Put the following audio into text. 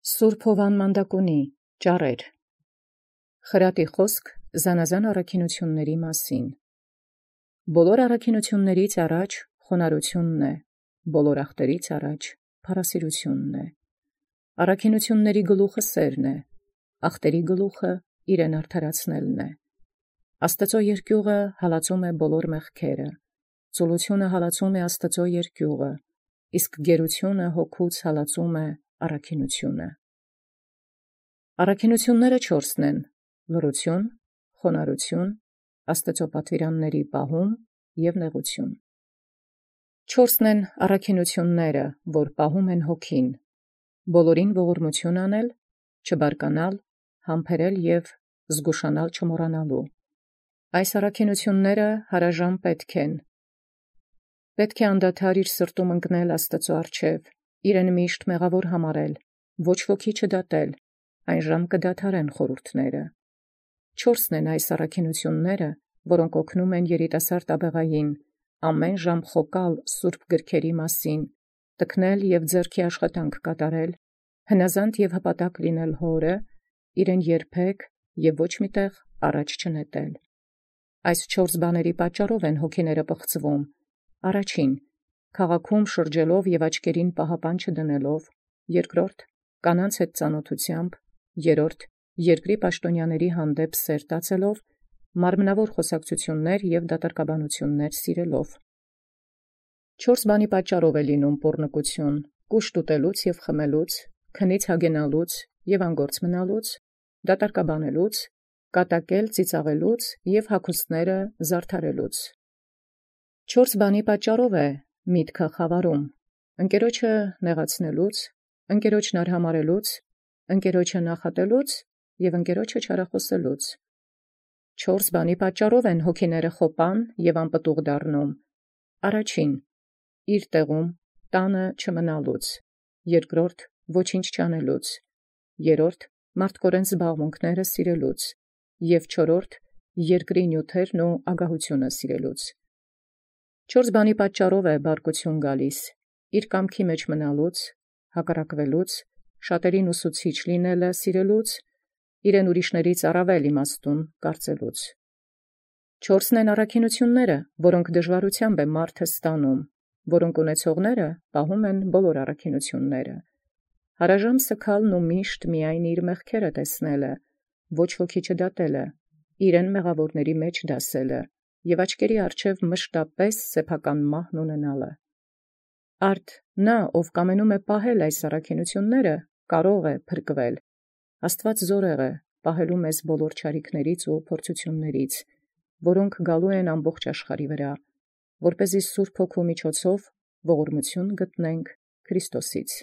Սուրբ Հովան Մանդակունի ճառեր խրատի խոսք զանազան առաքինութիւնների մասին։ Բոլոր առաքինութիւններից առաջ խոնարհությունն է, բոլոր ախտերից առաջ փառասիրությունն է։ Առաքինութիւնների գլուխը սերն է, ախտերի գլուխը իրեն արդարացնելն է։ Աստծո երկյուղը հալածում է բոլոր մեղքերը, ծուլությունը հալածում է Աստծո երկյուղը, իսկ գերությունը հոգուց հալածում է առաքինութիւնը։ Առաքինութիւնները 4 են. լռություն, խոնարհություն, Աստծո պատվիրանների պահում և նեղություն։ 4 են առաքինութիւնները, որ պահում են հոգին. բոլորին ողորմություն անել, չբարկանալ, համբերել և զգուշանալ չմոռանալու։ Այս առաքինութիւնները հարաժամ պետք են։ Պետք է անդադար իր սրտում ընկնել Աստծո առջև, իրեն միշտ մեղավոր համարել, ոչ ոքի չդատել, այն ժամ կդադարեն խորհուրդները։ 4 են այս առաքինութիւնները, որոնք օգնում են երիտասարդ աբեղային ամեն ժամ խոկալ սուրբ գրքերի մասին, տքնել և ձեռքի աշխատանք կատարել, հնազանդ և հպատակ լինել հորը, իրեն երբեք և ոչ մի տեղ առաջ չնետել։ Այս 4 բաների պատճառով են հոգիները պղծվում. առաջին, քաղաքում շրջելով և աչքերին պահապան չդնելով, երկրորդ, կանանց հետ ծանոթությամբ, երրորդ, երկրի պաշտոնյաների հանդեպ սեր տածելով, մարմնավոր խոսակցություններ և դատարկաբանություններ սիրելով։ 4 բանի պատճառով է լինում պոռնկություն՝ կուշտ ուտելուց և խմելուց, քնից հագենալուց և անգործ մնալուց, դատարկաբանելուց, կատակել ծիծաղելուց և հագուստները զարդարելուց։ 4 բանի պատճառով է միտքը խավարում՝ ընկերոջը նեղացնելուց, ընկերոջն արհամարհելուց, ընկերոջը նախատելուց և ընկերոջը չարախոսելուց։ 4 բանի պատճառով են հոգիները խոպան և անպտուղ դառնում. առաջին, իր տեղում տանը չմնալուց, երկրորդ, ոչինչ չանելուց, երրորդ, մարդկորեն զբաղմունքները սիրելուց և չորրորդ, երկրի նյութերն ու ագահությունը սիրելուց։ 4 բանի պատճառով է բարկություն գալիս. իր կամքի մեջ մնալուց, հակառակվելուց, շատերին ուսուցիչ լինելը սիրելուց, իրեն ուրիշներից առավել իմաստուն կարծելուց։ 4 են առաքինութիւնները, որոնք դժվարութեամբ է մարդը ստանում, որոնք ունեցողները պահում են բոլոր առաքինութիւնները։ Հարաժամ սգալն ու միշտ միայն իր մեղքերը տեսնելը, ոչ ոքի չդատելը, իրեն մեղավորների մեջ դասելը և աչքերի առջև մշտապես սեփական մահն ունենալը։ Արդ նա, ով կամենում է պահել այս առաքինութիւնները, կարող է փրկվել։ Աստուած զորեղ է պահելու մեզ բոլոր չարիքներից ու փորձութիւններից, որոնք գալու են ամբողջ աշխարհի վրա, որպեսզի Սուրբ Հոգու միջոցով ողորմություն գտնենք Քրիստոսից։